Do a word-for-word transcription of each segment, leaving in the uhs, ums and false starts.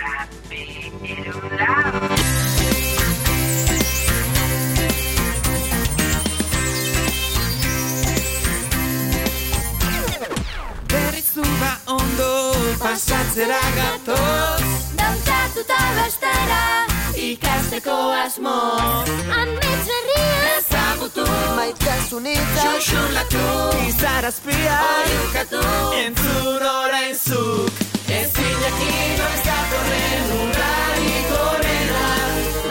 bat, bi, hiru, lau. Berrizuba ondo pasatzera gatoz, dantzatuta bestera, ikasteko asmo, amets berria ezagutu, maitasunitza, xuxurlatu, izarazpia, oiukatu, entzun orain zuk, ezin jakin noiz datorren urrarik horrela,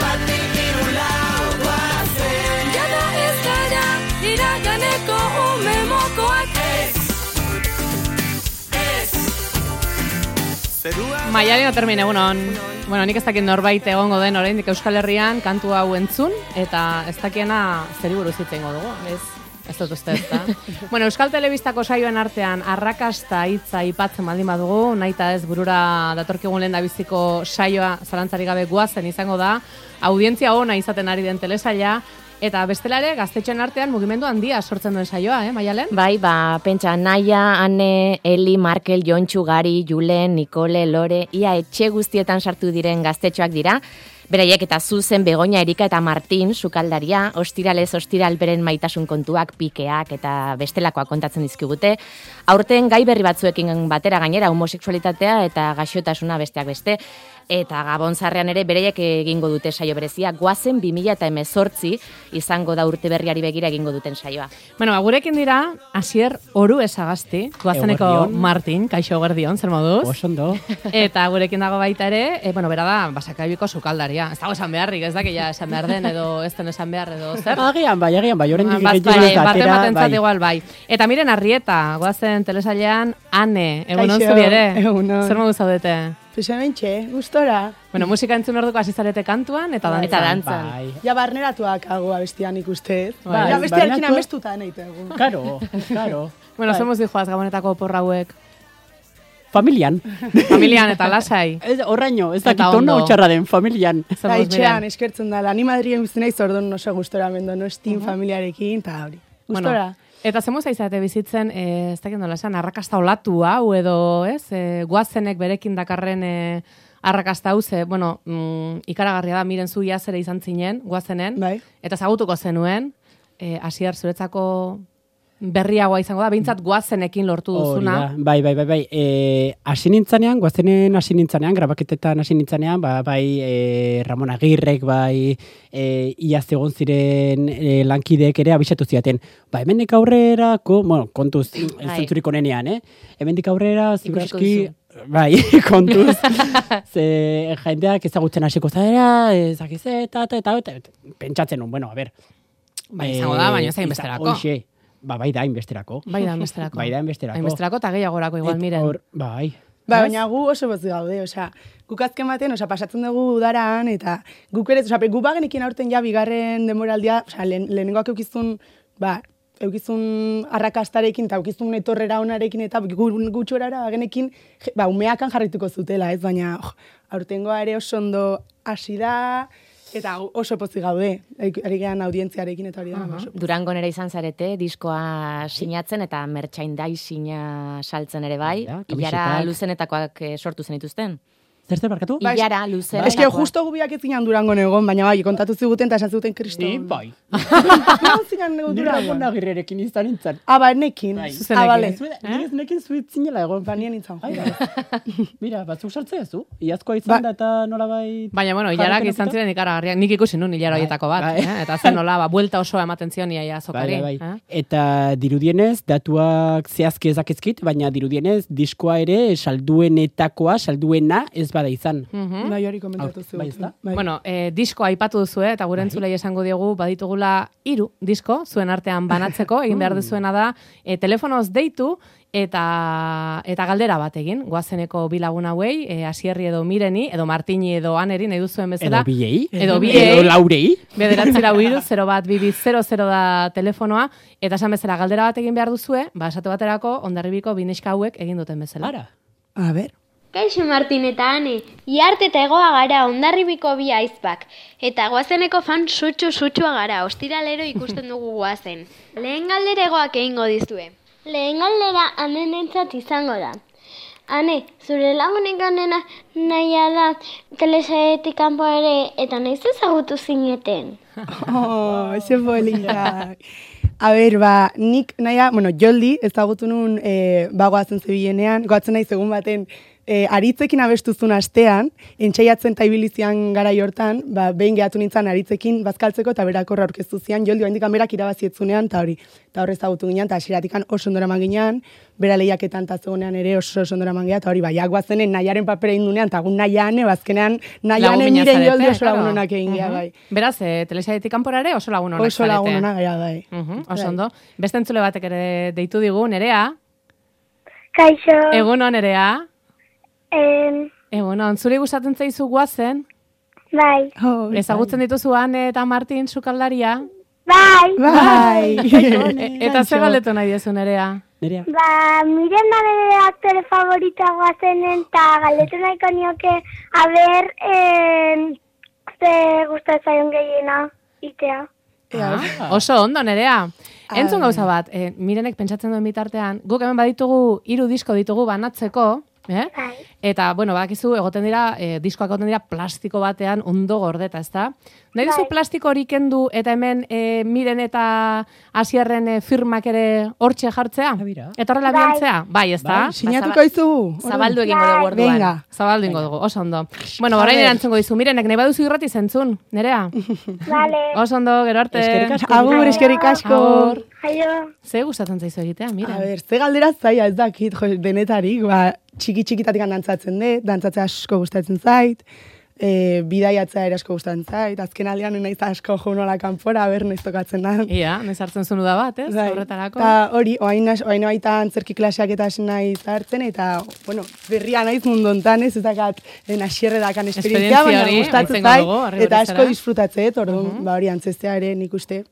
batik hiru lau guazen. jada ez gara, iraganeko ume mokoak Ez, ez, zerua Maialen Otermin, egunon. Bueno, nik ez dakit norbait egongo den oraindik Euskal Herrian kantu hau entzun, eta ez dakiena zeri buruz hitz egingo dugu, ez? Ez dut uste, ezta? Bueno, Euskal Telebistako saioen artean arrakasta hitza aipatzen baldin badugu, nahita ez burura datorkigun lehendabiziko saioa zalantzarik gabe guazen izango da, audientzia ona izaten ari den telesaila, eta bestela ere gaztetxoen artean mugimendu handia sortzen duen saioa, eh, Maialen? Bai, ba, pentsa, Naia, Ane, Eli, Markel, Jontxu, Gari, Julen, Nikole, Lore, ia etxe guztietan sartu diren gaztetxoak dira, beraiek eta Zuzen, Begoña, Erika eta Martin, sukaldaria, ostiralez ostiral beren maitasun kontuak, pikeak eta bestelakoak kontatzen dizkigute. Aurten gai berri batzuekin batera gainera homosexualitatea eta gaixotasuna besteak beste. Eta Gabonzarrean ere bereiek egingo dute saio berezia, Goazen bi mila hemezortzi izango da urte berriari begira egingo duten saioa. Bueno, ba, gurekin dira, Asier Oru Esagasti, Goazeneko Eguerdion. Martin, kaixo eguerdion, zer moduz? Osondo. Eta gurekin dago baita ere, e, bueno, bera da, Basakaibiko sukaldaria. Ez dago esan beharrik, ez dakila esan behar den, edo ez den esan behar, edo zer? Agian bai, agian bai, oraindik Bat gehiago bai, ez da bat atera, ematentzat bai. igual bai. Eta miren Arrieta, Goazen telesailean, Ane, egunon Kaixo, zuri ere? egunon. Zer modu zaudete? Pues hementxe, gustora. Bueno, musika entzun orduko hasi zarete kantuan, eta dantzan. Eta dantzan. Bai. Ja barneratuak hago abestian ikustez. Bai. Ja bestiarekin Barneratu- amestuta nahi tegu. Claro, claro. Bueno, Bai. zer modu joaz Gabonetako oporra hauek? Familian. Familian eta lasai. Ez, horraino, ez Eta dakit ona ondo. utxarra den, familian. Zer Da, moduz, itxean Miren? eskertzen da. Ni Madrien guzti naiz orduan oso gustora mendo, no estin familiarekin, eta hori. Gustora. Bueno, eta zer modu zaizate bizitzen, eh, ez dakit nola esan, arrakasta olatu hau edo, ez? Eh, Goazenek berekin dakarren eh, arrakasta hau, ze, bueno, mm, ikaragarria da, miren zu iazere izan zinen, Goazenen, Bai. eta zagutuko zenuen, eh, Asier, zuretzako berriagoa izango da, behintzat Goazenekin lortu Hori duzuna. da, bai, bai, bai, bai. E, hasi nintzanean, Goazenen hasi nintzanean, grabaketetan hasi nintzanean, ba, bai e, Ramon Agirrek, bai e, iaz egon ziren e, lankideek ere abisatu ziaten. Ba, hemendik aurrerako, bueno, kontuz, ez Bai. zentzurik onenean, eh? Hemendik aurrera, Ikusiko ziurreski, duzu. bai, kontuz, ze jendeak ezagutzen hasiko zara, ezakiz eta, eta, eta, eta, eta, pentsatzen nun, bueno, a ber. Bai, izango da, baina ez da izan- hainbesterako. Hoxe, ba, bai da, hainbesterako. Bai da, enbesterako. Bai da, hainbesterako. Hainbesterako eta gehiagorako igual, Et miren. hor- bai. Ba, baina gu oso bozu gaude, osea, guk azken baten, osea, pasatzen dugu udaran, eta guk ere, osea, gu bagenekin aurten ja bigarren demoraldia, osea, lehen, lehenengoak eukizun, ba, eukizun arrakastarekin, eta eukizun etorrera onarekin, eta gu, gutxorara bagenekin, je- ba, umeakan jarrituko zutela, ez, baina, oh, aurtengoa ere oso ondo hasi da, eta gu- oso pozik gaude, ari gehan audientziarekin, eta hori da, oso pozik. Durangon ere izan zarete, diskoa sinatzen eta merchandising-a saltzen ere bai. Bai, Ilara kamisetak. luzenetakoak eh, sortu zenituzten. Zer zer barkatu? Bai, Ilara Es luzenetakoak. que justo gu biak ez zinan Durangon egon, baina bai, kontatu ziguten eta esan zuten kriston. Ni, bai. Non zinan nego Ni Ramon Durangon? Agirrerekin izan nintzen. Ah, ba, nekin. Bai. Zuzenekin. Ah, bale. Ni ez nekin zuit zinela egon. Ba, nien nintzen. Ai, bai. Mira, batzuk sartzea zu. Iazkoa izan Ba- da eta nola bai... Baina, bueno, hilarak izan ziren ikaragarriak, nik ikusi nun hilara Bai, horietako bat, bai. eh? Eta zen nola, ba, buelta osoa ematen zion ia azokari. Bai, bai, bai. eh? Eta dirudienez, datuak zehazki ezakizkit, baina dirudienez, diskoa ere salduenetakoa, salduena ez bada izan. Mhm. Bai, hori komentatu Aur- bai, ziguten. ezta? Bueno, eh, disko aipatu duzue, eta gure entzulei esango diogu, baditugula hiru disko, zuen artean banatzeko, egin behar duzuena da, e, telefonoz deitu, eta eta galdera bat egin, Goazeneko bi lagun hauei, e, Asierri edo Mireni, edo Martini edo Aneri, nahi duzuen bezala. Edo biei. Edo biei. Edo laurei. Bederatzi lau hiru, zero bat, bi bi, zero, zero da telefonoa, eta esan bezala galdera bat egin behar duzue, ba, esate baterako, Hondarribiko bi neska hauek egin duten bezala. Ara. A ber. Kaixo Martin eta Ane, iarte eta egoa gara Hondarribiko bi aizpak, eta Goazeneko fan sutxu-sutxua gara, ostiralero ikusten dugu Goazen. Lehen galdera egoak egingo dizue. Lehen galdera anenentzat izango da. Ane, zure lagunik onena nahia da telesaietik kanpo ere eta nahiz ezagutu zineten. Oh, ze polita. A ber, ba, nik nahia, bueno, Joldi ezagutu nun e, bagoazen zebilenean, goatzen nahi segun baten, E, aritzekin abestuzun astean, entxaiatzen eta ibilizian garai hortan, ba, behin gehatu nintzen aritzekin bazkaltzeko eta berakorra aurkeztu zian, Joldi oaindikan berak irabazietzunean, eta hori, eta horrez ezagutu ginean, eta asiratikan oso ondora man ginean, bera lehiaketan eta zegoenean ere oso oso ondora man ginean, eta hori, ba, jagoazenen nahiaren papera indunean, eta gun nahiane, bazkenean, nahiane nire Joldi oso lagunonak egin geha, bai. Beraz, e, telesaietik kanpora ere oso lagunonak Oso lagunonak gara, bai. Uh-huh, oso ondo. Beste entzule batek ere deitu digu, Nerea. Kaixo. Egunon, Nerea. En, Egunon, zuri gustatzen zaizu guazen? bai. Oh, Ezagutzen dituzu Ane eta Martin sukaldaria? Bai. bai. E- eta ze galdetu nahi diezu, Nerea? Nerea. Ba, miren da nire aktore favoritoa guazenen eta galdetu nahiko nioke, a ber, eh, ze gustatzen zaion gehiena itea. Ah, oso ondo, Nerea. Entzun gauza bat, eh, Mirenek pentsatzen duen bitartean, guk hemen baditugu hiru disko ditugu banatzeko, eh? Bai. Eta, bueno, badakizu, egoten dira, eh, diskoak egoten dira plastiko batean ondo gordeta, ezta? Nahi duzu Bai. plastiko hori kendu eta hemen eh, Miren eta Asierren eh, firmak ere hortxe jartzea? bira. Eta horrela Bai. bialtzea? Bai, ezta? Bai, Sinatuko izugu. Zabaldu egingo dugu orduan. Venga. Zabaldu egingo dugu, oso ondo. Bueno, orain erantzungo dizu, Mirenek, nahi baduzu irrati zentzun, Nerea? Vale. Oso ondo, gero arte. Eskerrik asko. Agur, eskerrik asko. Agur. Aio. Ze gustatzen zaizu egitea, Miren? A ber, ze galdera zaila ez dakit, jo, denetarik, ba, txiki-txikitatik dantzatzen dut, dantzatzea asko gustatzen zait, e, bidaiatzea ere asko gustatzen zait, azken aldean naiz asko jo nola kanpora, a ber, naiz tokatzen da. Ia, nez hartzen zunu da bat, ez? Bai, Horretarako. eta hori, oain, nas- oain baita antzerki klaseak eta hasi naiz hartzen, eta, bueno, berria naiz mundu hontan, ez, ez dakat, Asierre dakan esperientzia, Esperientzia baina hori, gustatzen entzungo zait, dugu, harri eta berriz asko era. disfrutatzeet, orduan, ba hori antzestea ere nik uste,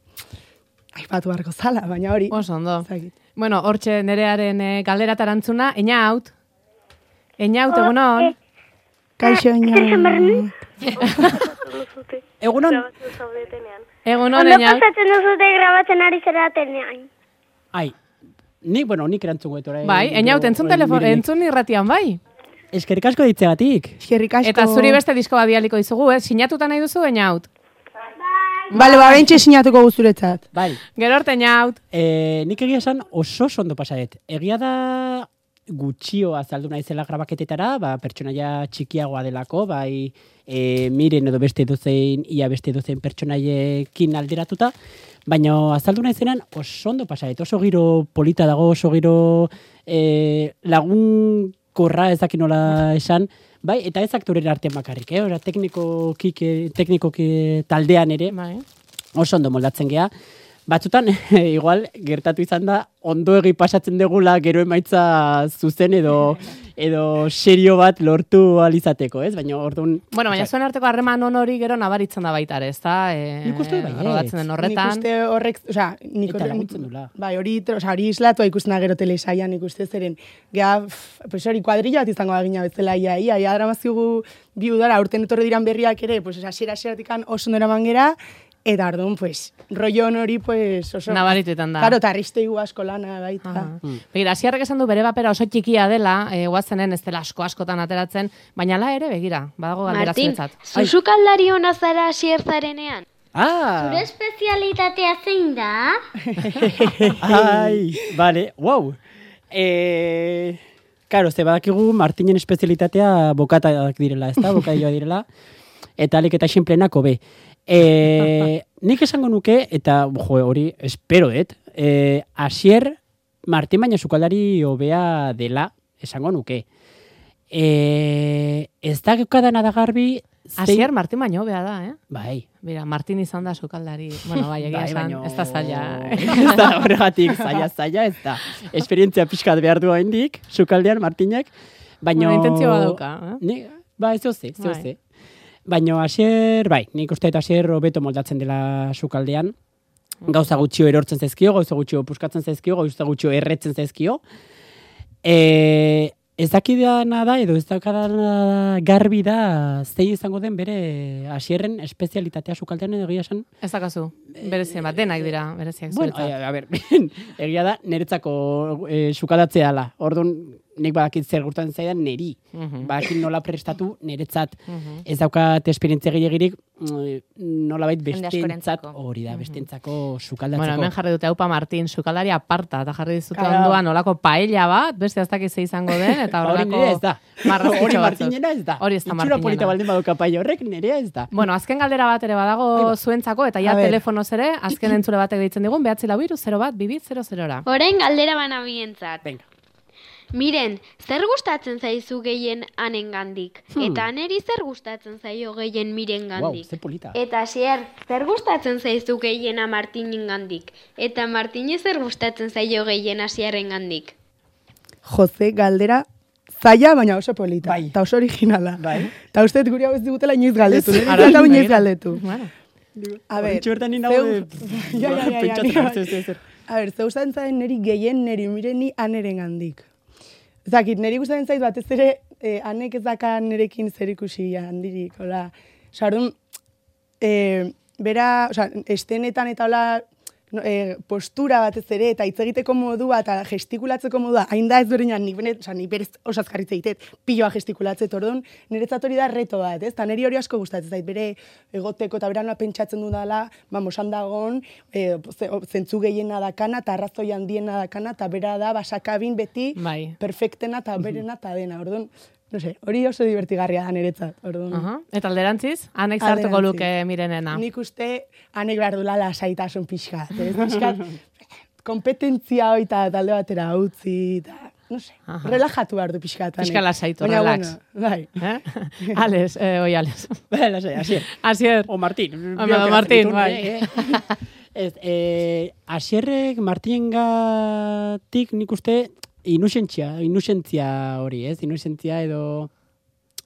aipatu beharko zala, baina hori. Oso ondo. ez dakit. Bueno, hortxe Nerearen e, galdera tarantzuna, eñaut. Eñaut, egunon. Kaixo, ino. Egunon. Egunon, Ondo eñaut. pasatzen duzute grabatzen ari zeratenean. Ai, nik, bueno, nik erantzungo dut orain. Bai, eñaut, entzun, Orain telefon, Mirenek. entzun irratian, bai. Eskerrik asko ditzegatik. Eskerrik asko. Eta zuri beste disko bat bialiko dizugu, ez? Sinatuta nahi duzu, eñaut. Bale, ba, bentxe sinatuko guzuretzat. Bai, Gero arte, eñaut. e, nik egia esan oso oso ondo pasadet. Egia da gutxio azaldu naizela grabaketetara, ba, pertsonaia txikiagoa delako, bai e, Miren edo beste dozein, ia beste dozein pertsonaiekin alderatuta, baina azaldu naizenan oso ondo pasadet. Oso giro polita dago, oso giro e, lagun korra ezakin nola esan, bai, eta ez aktorera artean bakarrik, eh? Ora, teknikoki, teknikoki taldean ere, Bai. oso ondo moldatzen gea. Batzutan, igual, gertatu izan da, ondo egi pasatzen degula gero emaitza zuzen edo edo serio bat lortu alizateko, ez? Baina orduan... Bueno, baina zuen arteko harreman on hori gero nabaritzen da baita ere, ezta? E, Nik uste dut baietz. rodatzen den Nik horretan. uste horrek, osea, nik Eta horrek- laguntzen dula. Bai, hori, osea, hori islatua ikusten da gero telesaian nik uste zeren. Gea, pff, pues hori, kuadrilla bat izango da gina bezala, ia, ia, ia, dramaziugu bi udara, urten etorri diran berriak ere, pues, asiera asieratik oso ondo eraman gera, eta orduan, pues, rollo hori, pues, oso... Nabarituetan da. Claro, eta arristeigu asko lana baita. Aha. Begira, Asierrek esan du bere papera oso txikia dela, e, guazenen ez dela asko askotan ateratzen, baina la ere, begira, badago galdera Martin, zuretzat. zuzukaldari hona zara asierzarenean. Ah! Zure espezialitatea zein da? Ai, vale, wow. Eh, claro, ze badakigu Martinen espezialitatea bokatak direla, ezta? Bokadilloa direla. Eta alik eta xinplenako be. Eh, nik esango nuke, eta jo, hori, espero dut, eh, Asier Martin baina sukaldari hobea dela, esango nuke. Eh, ez da geukadana da garbi... zein- Asier Martin baino hobea da, eh? Bai. Mira, Martin izan da sukaldari, bueno, bai, egia Bai, esan, baino- ez da zaila. Ez da horregatik, zaila, zaila, ez da. Esperientzia pixkat behar du haindik, sukaldean Martinek, baino... Bueno, intentzio badauka, eh? Ni, ba, ez ze, ez Bai. ze. Baino Asier, bai, nik uste eta Asier hobeto moldatzen dela sukaldean. Gauza gutxio erortzen zaizkio, gauza gutxio puskatzen zaizkio, gauza gutxio erretzen zaizkio. E, ez dakidana da, edo ez dakidana garbi da, zei izango den bere Asierren espezialitatea sukaldean edo egia esan. Ez dakazu, berezien bat, denak dira, bereziak Bueno, zuretzat. a, a ber, egia da, niretzako e, sukaldatzea ala. Orduan, nik badakit zer gurtan zaidan neri. Mhm. Badakit nola prestatu niretzat. Ez daukat esperientzia gehiagirik nolabait Jende bestentzat askorentzako. hori da, bestentzako sukaldatzeko. Bueno, hemen jarri dute Aupa Martin, sukaldari aparta, eta jarri dizute Claro. onduan olako paella bat, beste ez dakiz ze izango den, eta Ba, hori horrelako nire ez da. marrazkitxo Hori batzuk. Martinena ez da. Hori ez da Itxura polita Martinena. baldin baduka paia horrek, nirea ez da. Bueno, azken galdera bat ere badago zuentzako, eta ja A ber. telefonoz ere, azken entzule batek deitzen digun, behatzi lau hiru, zero bat, bibi, zero zerora. Orain galdera bana bientzat. Venga. Miren, zer gustatzen zaizu gehien anengandik? Hmm. Eta neri zer gustatzen zaio gehien Wow, mirengandik? ze polita. Eta Xer, zer gustatzen zaizu gehien Martinengandik? Eta Martine zer gustatzen zaio gehien Asierrengandik? Jose, galdera zaila, baina oso polita. Bai. Eta oso originala. Bai. Eta uste guri hau ez digutela inoiz galdetu. Ez, Nire ara, ez hau inoiz begira. galdetu. Bueno, A ber, Horintxo bertan nina zeu- hau Ja, ja, ja, ja, pentsatzen nire- hartu ez ez. A ber, zeu gustatzen zaien niri gehien niri mireni aneren gandik. Zakit, niri gustatzen zait batez ere eh, anek ez daka nerekin zer ikusi handirik, hola. Osa, orduan, eh, bera, osa, estenetan eta hola, no, eh, postura batez ere, eta hitz egiteko modua, eta gestikulatzeko modua, hain da ez berenan, nik benet, osa, nik berez osaz jarritze egiten, piloa gestikulatzet, orduan, niretzat hori da reto bat, ez? Eta niri hori asko gustatzen zait, bere egoteko eta bera nola pentsatzen dudala, vamos, handagon, e, zentzu gehiena dakana, eta arrazoi handiena dakana, eta bera da, basakabin beti, Bai. perfectena eta berena eta dena, orduan, no sé, hori oso divertigarria da niretzat, orduan. aha. Eta alderantziz, anek zartuko Alderantziz. luke mirenena. Nik uste, anek behar dula lasaitasun pixkat, ez? Pixkat, kompetentzia hori eta talde batera utzi, eta, no sé, Aha. relajatu behar du pixkat. anek. Pixka lasaitu, Baina, relax. Bueno, bai. Eh? Ales, eh, oi Ales. Bai, lasai, Asier. Asier. O Martin. O biok Martin, ditun, bai. eh, eh. Ez, eh, Asierrek Martinengatik nik uste inusentzia, inusentzia hori, ez? Inusentzia edo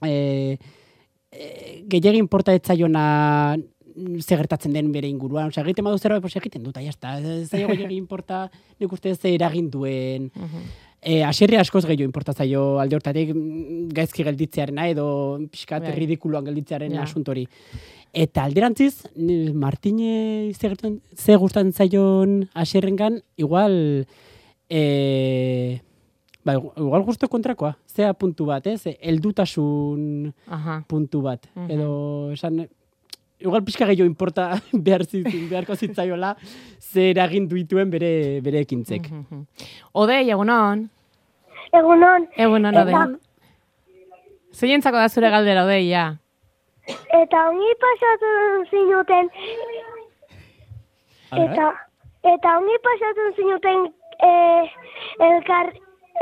eh, eh, gehiagin importa ez zaiona ze gertatzen den bere inguruan. Osea, egiten badu zerbait, pues egiten dut, ya está. Ez zaio gehiagin importa nik uste ze eragin duen. Eh, Asierri askoz gehiago importa zaio alde hortatik mm, gaizki gelditzearena edo pixkat Bai. ridikuloan gelditzearen Ja. asuntori. Eta alderantziz, ni- Martine ze, gertan- ze gustatzen zaion Asierrengan, igual eh, ba, igual justo kontrakoa, zea puntu bat, ez? Heldutasun Aha. puntu bat. Mhm. Edo, esan, igual pixka gehiago importa behar zitzin, beharko zitzaiola zer eragin dituen bere, bere ekintzek. Mhm. Odei, egunon. Egunon, Egunon, Eta- Odei. Zeientzako da zure galdera, Odei, ja. eta ongi pasatu zinuten, A ber, eta, eta ongi pasatu zinuten eh, elkar,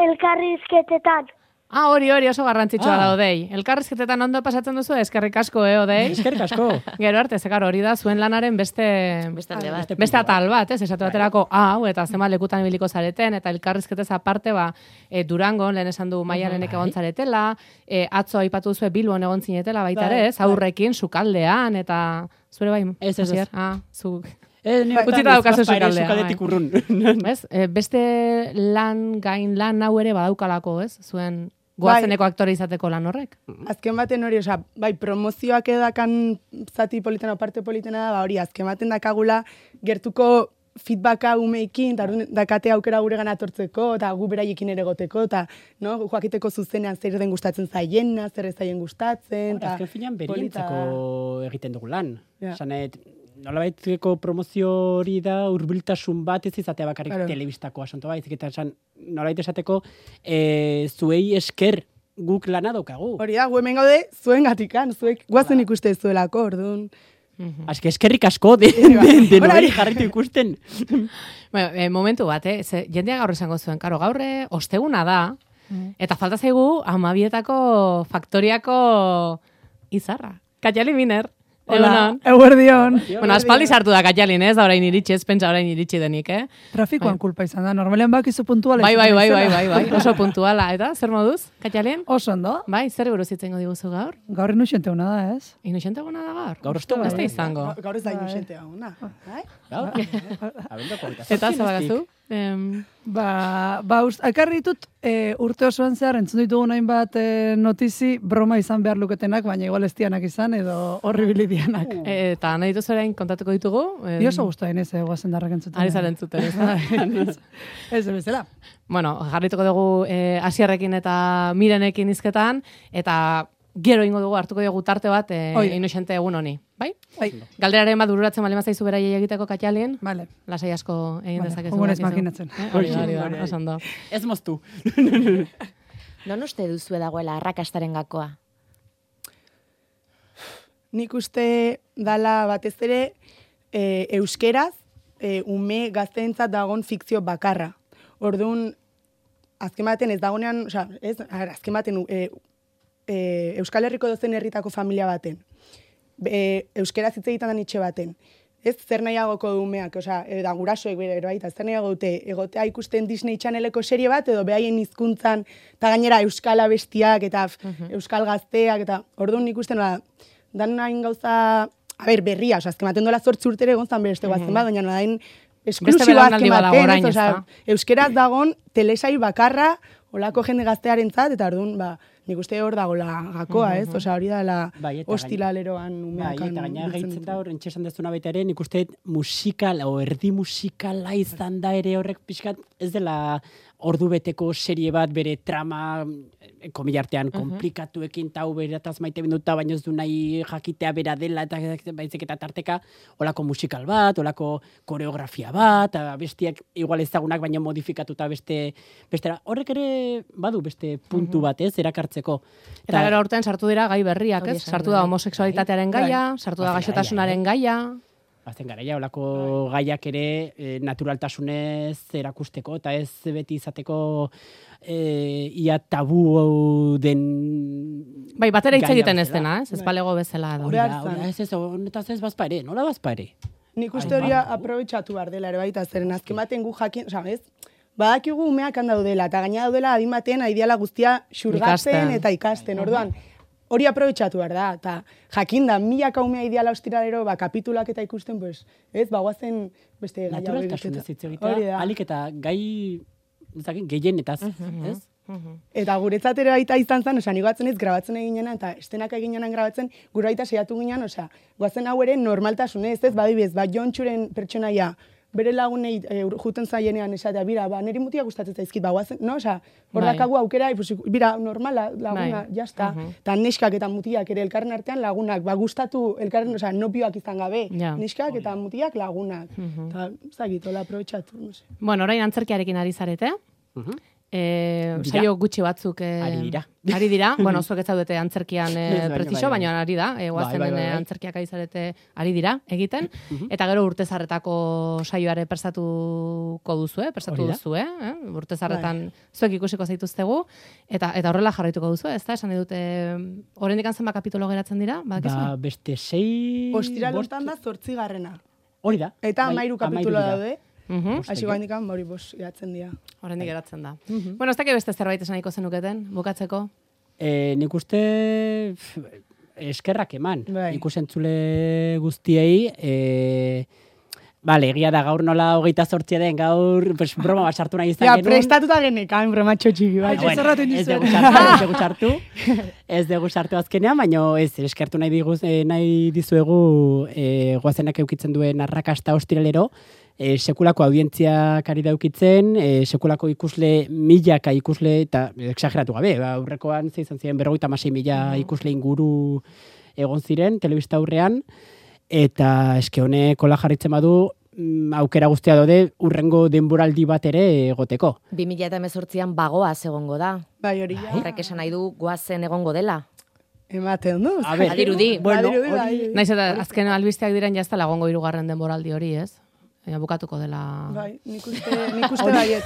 elkarrizketetan. Ah, hori, hori, oso garrantzitsua Ah. da, Odei. Elkarrizketetan ondo pasatzen duzu, eskerrik asko, eh, Odei? eskerrik asko. Gero arte, zekar hori da, zuen lanaren beste... Beste alde bat. Beste Beste puntu bat. atal bat, ez, esatu baterako, hau, eta zenbat lekutan ibiliko zareten, eta elkarrizketez aparte, ba, e, Durangon, lehen esan du Maialenek egon zaretela, e, atzo aipatu zuen Bilbon egon zinetela, baita ere, Bai, ez, aurrekin, sukaldean, eta zure bai, Ez, ez, ez. Asier? Ah, zu... Eh, ni Utzita bertan daukazu ez bazpa ere sukaldea, sukaldetik bai. urrun. Ez? E, beste lan, gain lan hau ere badaukalako, ez? Zuen goazeneko aktore izateko lan horrek. Azken baten hori, osea, bai, promozioak edakan zati politena, parte politena da, ba, hori, azken baten dakagula, gertuko feedbacka umeikin, eta orduan dakate aukera gure gana atortzeko, eta gu beraiekin ere goteko, eta no, joakiteko zuzenean zer den gustatzen zaiena, zer ez zaien gustatzen, eta Azken finean polita da. berientzako egiten dugu lan. Ja. Sanet, nolabaiteko promozio hori da hurbiltasun bat ez izatea bakarrik Claro. telebistako asunto baizik eta esan nolabait esateko e, zuei esker guk lana daukagu. Hori da, gu hemen gaude, zuen gatikan, zuek guazen ikuste zuelako, orduan. Aske eskerrik asko de, de, de, Hori. nori jarritu ikusten. Bueno, e, momentu bat, eh? Ze, jendea gaur esango zuen, karo, gaurre osteguna da, eta falta zaigu amabietako faktoriako izarra. Katiali Miner. Egunon. Eguerdion. Bueno, aspaldi sartu da Katialin, ez? Da orain iritsi, ez pentsa orain iritsi denik, eh? Trafikoan kulpa izan da, normalean bakizu puntuala Bai, bai, izaten bai, bai, naizela. bai, bai, oso puntuala, eta zer moduz, Katialin? Oso ondo, Bai, zer buruz itzengo diguzu gaur? gaur inusiente hona da, ez? Inusente gona da gaur? Gaur ostu Ez da izango. Gaur ez da inusente hau, na. Bai? Gaur? Abenduak hogeita Eta zortzi zabagazu? nestik. Em, Ba, ba ust, akarri ditut e, urte osoan zehar entzun ditugu hainbat e, notizi broma izan behar luketenak, baina igual ez dianak izan edo horribili dianak. Eta nahi dituzu orain kontatuko ditugu? Em, Ni oso guztuen ez, guazen darrak entzuten. Ari zaren entzuten, ez da? Ez bezala. Bueno, jarrituko dugu eh, Asierrekin eta Mirenekin hizketan, eta gero ingo dugu hartuko dugu tarte bat eh, Inoxente egun honi, bai? Bai. Galderaren bat bururatzen bali mazaizu beraiei egiteko katxalien, Vale. lasai asko egin Vale, dezakezu. ongunez dakizu. makinatzen. Eh, Hori da, hori da, oso ondo. Ez moztu. Non uste duzu dagoela arrakastaren gakoa? Nik uste dala batez ere e, euskeraz e, ume gazteentzat dagon fikzio bakarra. Orduan, azken baten ez dagonean, osea, ez, azken baten e, e, Euskal Herriko dozen herritako familia baten. E, euskeraz hitz egiten da itxe baten. Ez zer nahiagoko du umeak, osea, da gurasoek bere baita, zer nahiago dute egotea ikusten Disney Channeleko serie bat edo behaien hizkuntzan eta gainera euskal abestiak eta uh-huh. euskal gazteak eta orduan ikusten da dan hain gauza, a ber, berria, osea, azken baten dola zortzi urtere egon zan beste guazen uh-huh. bat, baina nodain esklusiba azken baten, osea, euskeraz dagon telesai bakarra olako jende gaztearentzat eta orduan, ba, nik uste hor dagoela gakoa, ez? Osea, hori da la bai, ostilaleroan umeakan. Bai, eta gaina gaitzen da hor, entxesan dezuna baita ere, nik uste musikal, o erdi musikala izan da ere horrek pixkat, ez dela ordu beteko serie bat bere trama, komilartean, uh-huh. komplikatuekin tau berataz maite binduta, baina ez du nahi jakitea bera dela, eta baizik eta tarteka, olako musikal bat, olako koreografia bat, bestiak igual ezagunak, baina modifikatuta beste, bestera. Horrek ere badu beste puntu uh-huh. bat, ez, erakartzeko. Eta, eta gero urtean sartu dira gai berriak, ez? Sartu da homosexualitatearen gaia, sartu da gaixotasunaren gaia. Azten garaia, olako gaiak ere e, naturaltasunez erakusteko, eta ez beti izateko e, ia tabu den... Bai, batera hitz egiten ez dena, ez? Ez balego bezala. Hori da, ez ez, honetaz ez bazpa ere, nola bazpa ere? Nik uste hori aprobetxatu behar dela ere baita, zeren azken baten gu jakin, oza, ez? Badakigu umeak handaudela, eta gaina daudela adin batean aidiala guztia xurgatzen eta ikasten, orduan. Hori aprobetxatu behar da, eta jakinda, milaka umea ideala ostiralero, ba, kapitulak eta ikusten, pues, ez, bagoazen beste gaia hori. Naturaltasunez hitz egitea, alik eta gai, ezakin, gehienetaz, uh-huh. ez? Uh-huh. Eta guretzat ere baita izan zen, osea, nigo batzen ez grabatzen eginena, eta estenak eginenan grabatzen, gure baita seiatu ginen, osea, goazen hau ere normaltasunez, ez, badibez, ba, Jontxuren pertsonaia, bere lagunei e, juten zaienean esatea, bira, ba, niri mutia gustatzen zaizkit, ba, guazen, no, osea, hor dakagu aukera, pues, bira, normala, laguna, bai. Jazta, eta uh-huh. neskak eta mutiak ere elkarren artean lagunak, ba, gustatu elkarren, osea, nopioak izan gabe, ja. Neskak eta mutiak lagunak, eta, uh-huh. zagit, hola, aprobetxatu, no sé. Bueno, orain antzerkiarekin ari zarete, uh-huh. E, saio gutxi batzuk e, ari dira. Ari dira, bueno, zuek ez zaudete antzerkian e, prezixo, baina ari da, e, guazen bai, bai, bai. Antzerkiak ari zarete ari dira egiten, uh-huh. eta gero urtezarretako saioare prestatuko duzu, eh? Prestatu duzu, eh? Urtezarretan bai. Zuek ikusiko zaituztegu, eta eta horrela jarraituko duzu, ez da? Esan dute, oraindik zenbat kapitolo geratzen dira? Badakizu? Ba, beste sei... Ostiralotan da zortzi garrena. Hori da. Eta amairu bai, kapitulo daude. Uh-huh. Aixi gaindik hori bos geratzen dira. Horrendik geratzen da. Uh-huh. Bueno, ez dakit beste zerbait esan nahiko zenuketen, bukatzeko? E, nik uste eskerrak eman. Bai. Ikusentzule guztiei, e, bale, egia da gaur nola hogeita zortzia den, gaur pues, broma bat sartu nahi izan ja, genuen. Ja, prestatuta genekan, broma txotxiki. Bai. Bueno, ez dugu sartu, ez dugu sartu, ez dugu sartu azkenean, baina ez, eskertu nahi, diguz, eh, nahi dizuegu eh, goazenak eukitzen duen arrakasta ostiralero, E, sekulako audientziak ari daukitzen, e, sekulako ikusle milaka ikusle, eta exageratu gabe, ba, aurrekoan ze izan ziren berrogeita hamasei mila ikusle inguru egon ziren, telebista aurrean, eta eske honek kola jarritzen badu, m, aukera guztia daude urrengo denboraldi bat ere egoteko. bi mila hemezortzian bagoaz egongo da. Bai, hori ja. Horrek esan nahi du goazen egongo dela. Ematen du. Badirudi. Bueno, naiz eta azken albisteak diren jazta lagongo hirugarren denboraldi hori, ez? Baina bukatuko dela... Bai, nik uste, nik uste baiet.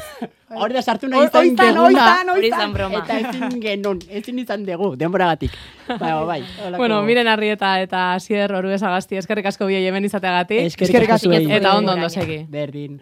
Hori da sartu nahi izan geguna. Oizan, hori izan broma. Eta ezin genuen, ezin izan dugu, denboragatik. Bai, bai. Olako... Bueno, Miren Arrieta eta Asier Oruez Agasti, eskerrik asko biei hemen izateagatik. Eskerrik asko. Eta ondo ondo segi. Berdin.